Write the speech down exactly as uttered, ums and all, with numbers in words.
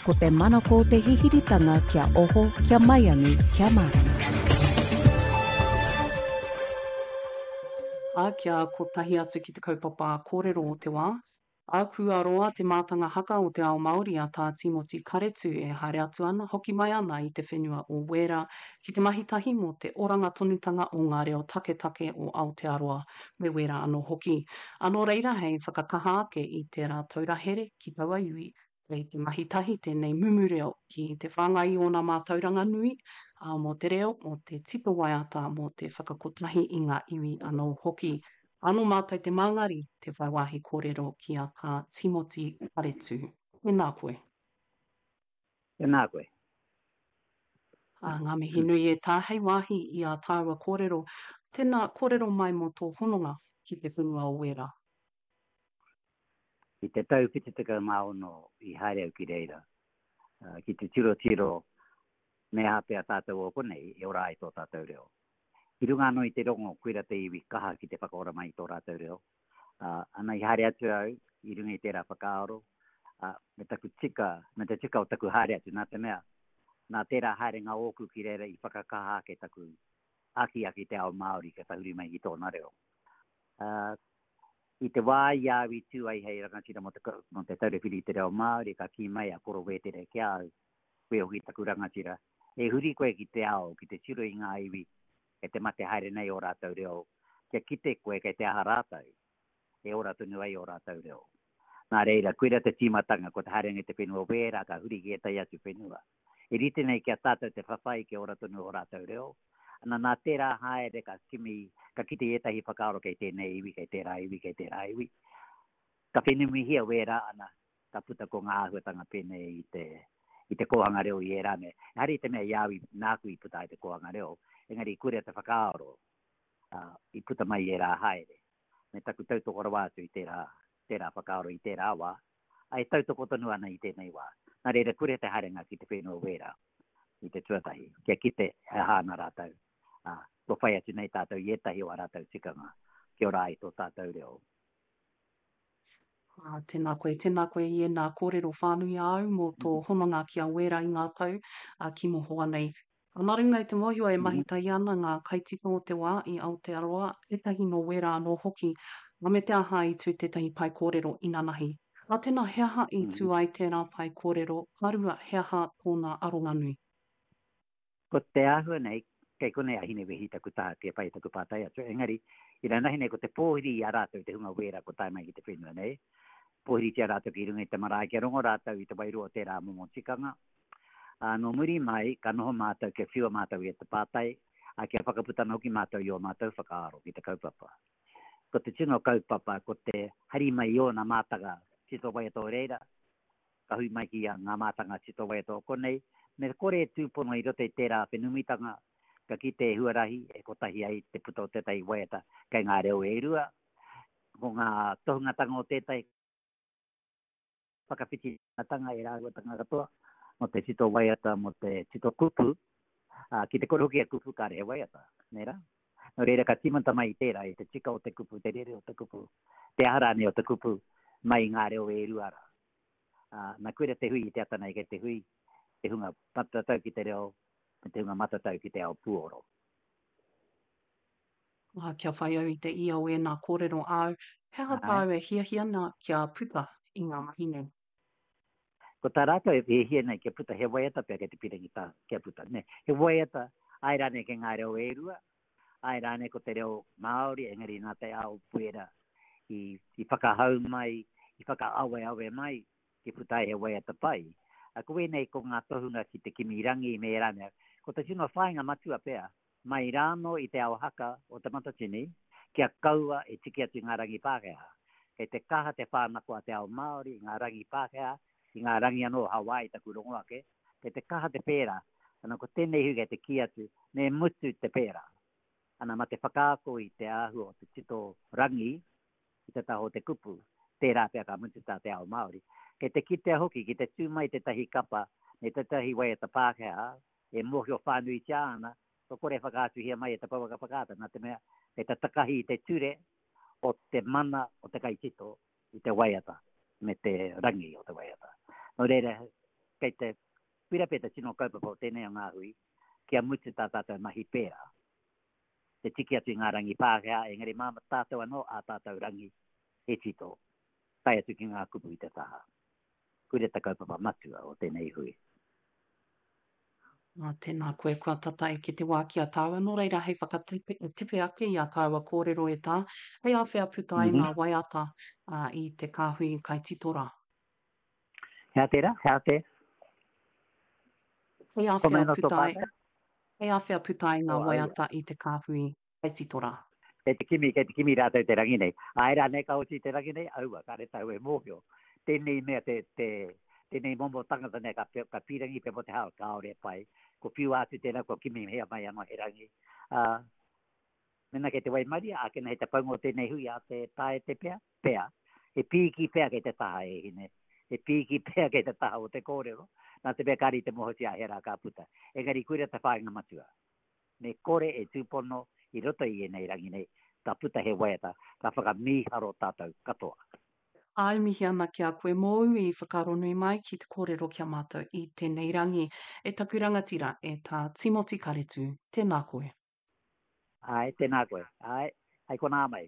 Ko te manako o te hihiritanga kia oho, kia maiangi, kia mārama. Ā, kia kotahi atu ki te kaupapa kōrero o te wā. Ā, kua roa te mātanga haka o te ao Māori a Tā Tīmoti Karetu e haere atu ana, hoki mai ana i te whenua o Wēra ki te mahi tahi mō te oranga tonutanga o ngā reo taketake o Aotearoa me Wēra anō hoki. Ā, nō reira hei whakakaha ake i tērā taura here ki taua iwi, kei te mahi tahi tēnei mumu reo ki te whāngai i ōna mātauranga nui, ā, mō te reo, mō te tito waiata, mō te whakakotahi i ngā iwi anō hoki. Anō mātou te māngari, te whai wāhi kōrero ki a Tā Tīmoti Karetu. Tēnā koe. Tēnā koe. Ā, ngā mihi nui e tā hei wāhi i ā tāua kōrero. Tēnā, kōrero mai mō tō hononga ki te whenua o Wēra. I te tau whitu tekau mā ono i haere au ki reira, ki te tirotiro me aha pea tātou o konei e ora ai tō tātou reo. I runga anō i te rongo, koira te iwi kaha ki te whakaora mai i tō rātou reo. Uh, ana i haere atu au i runga i tērā whakaaro, uh, me taku tika, me te tika o taku haere atu, nā te mea, nā tērā haerenga ōku ki reira i whakakaha ake taku akiaki te ao Māori kia tahuri mai ki tōna reo. Uh, i te wā i a au i tū ai hei rangatira mō te, mō te Taura Whiri i te Reo Māori, ka kī mai a Koro Wētere ki a au, koe hoki taku rangatira, e huri koe ki te ao, ki te tiro i ngā iwi kei te mate haere nei ō rātou reo, kia kite koe kei te aha rātou, e ora tonu ai ō rātou reo. Nā reira, koira te tīmatanga, ko te haerenga i te whenua wērā, ka huri ki ētahi atu whenua. E rite nei ki a tātou te whawhai kia ora tonu ō rātou reo. Ana, nā tērā haere ka kimi, ka kite i ētahi whakaaro kei tēnei iwi, kei tērā iwi, kei tērā iwi. Ka whenumihia wērā, ana, ka puta ko ngā āhuatanga pēnei i te, i te kōhanga reo i ērā mea. Ehara i te mea i a au i, nāku i puta ai te kōhanga reo, engari koira te whakaaro, ā, i puta mai i ērā haere. Me taku tautoko rawa atu i tērā, tērā whakaaro i tērā wā, ā, e tautoko tonu ana i tēnei wā. Nā reira, koira te haerenga ki te whenua wērā i te tuatahi, kia kite e aha ana rātou, ā, kua whai atu nei tātou i ētahi o ā rātou tikanga, kia ora ai tō tātou reo. Ā, tēnā koe, tēnā koe i ēnā kōrero whānui āu mō tō hononga ki a Wēra i ngā tau, ā, ki mohoa nei. Ā, nā runga i te mōhio e mahi tahi ana ngā kaitito o te wā i Aotearoa, ētahi nō Wēra anō hoki, ā, me te aha i tū tētahi pae kōrero inanahi. Ā, tēnā, he aha i tū ai tērā pae kōrero, ka rua, he aha tōna aronga nui? Ko te āhua nei, kei konei a Hinewehi taku taha kia pai taku pātai atu, engari, inanahi nei ko te pōhiri i a rātou te hunga wēra kua tae mai ki te whenua nei, pōhiritia rātou ki runga i te marae kia rongo rātou i te wairua o tērā momo tikanga. Ā, nō muri mai, ka noho mātou kia whiua mātou i te pātai, ā, kia whakaputana hoki mātou i ō mātou whakaaro ki te kaupapa. Ko te tino kaupapa, ko te hari mai i ōna mātanga tito waiata o reira, ka hui mai ki ngā mātanga tito waiata o konei, me kore e tūpono i roto i tērā whenumitanga, ka kite e huarahi e kotahi ai te puta o tētahi waiata kei ngā reo e rua, ko ngā tohungatanga o tētahi whakawhitingatanga e rāhuatanga katoa, mō te tito waiata, mō te tito kupu, ā, ki te kore hoki e kupu kāre he waiata, nē rā? Nō reira ka tīmata mai i tērā, i te tika o te kupu, te rere o te kupu, te aha rānei o te kupu, mai i ngā reo e rua rā. Ā, na koira te hui i te ata nei kei te hui te hunga matatau ki te reo me te hunga matatau ki te ao puoro. Ā, kia whai au i te ia o ēnā kōrero āu, he aha Āe. tāu e hiahia ana kia puta i ngā mahi nei? Ko tā rātou e hiahia nei kia puta he waiata pea kei te pirangi tā kia puta, nē. He waiata, āe rānei kei ngā reo e rua, āe rānei ko te reo Māori, engari nā te ao wera i, i whakahau mai, i whakaaweawe mai, kia puta ai he waiata pai. A, ko wēnei ko ngā tohunga ki te kimi rangi me ērā mea. Ko te tino whāinga matua pea, mai rānō i te ao haka o Te Matatini, kia kaua e tiki atu i ngā rangi Pākehā. Kei te kaha te whānako a te ao Māori i ngā rangi Pākehā, i ngā rangi anō o Hawaii taku rongo ake, kei te kaha te pērā. Ana ko tēnei hui kei te kī atu, me mutu te pērā. Ana mā te whakaako i te āhua o te tito rangi, i te taha o te kupu, tērā pea ka mutu tā te ao Māori. Kei te kitea hoki ki te tū mai tētahi kapa me tētahi waiata Pākehā e mōhio whānuitia ana, kua kore e whakaatuhia mai e te pouaka whakaata nā te mea kei te takahi i te ture o te mana o te kaitito i te waiata me te rangi o te waiata. Nō reira, Kei te koira pea te tino kaupapa o tēnei o ngā hui, kia mutu tā tātou mahi pērā. Te tiki atu i ngā rangi Pākehā, engari mā tātou anō ā tātou rangi e tito, tae atu ki ngā kupu i te taha. Koira te kaupapa matua o tēnei hui. Ā, tēnā koe, kua tata eke te wā ki a tāua, nō reira hei whakatipe ake i a tāua kōrero e tā, hei āwhea puta ai ngā waiata i te kāhui kaitito rā. He aha tērā? He aha te? Hei āwhea puta ai, hei āwhea puta ai ngā waiata i te kāhui kaitito rā. Kei te kimi, kei te kimi rātou te rangi nei. Āe rānei ka oti te rangi nei? Aua, kāre tāu e mōhio. Tēnei mea te, te, tēnei momo tangata nei ka, ka pīrangi pea mō te hao, kāore e pai. Ko whiua atu tēnā, kua kimihia mai anō he rangi. Ā, mēnā kei te waimaria, ākene hei te paunga o tēnei hui a te taete pea, pea. He pīki pea kei te taha e hine. He pīki pea kei te taha o te kōrero, nā te mea kāre i te mōhiotia he rā ka puta. Engari koira te whāinga matua. Me kore e tūpono i roto i ēnei rangi nei, ka puta he waiata, ka whakamīharo tātou katoa. Āe mihi ana ki a koe mōu i whakaaronui mai ki te kōrero ki a mātou i tēnei rangi. E taku rangatira, e Tā Timoti Karetū, tēnā koe. Āe, tēnā koe. Āe, hei konā mai.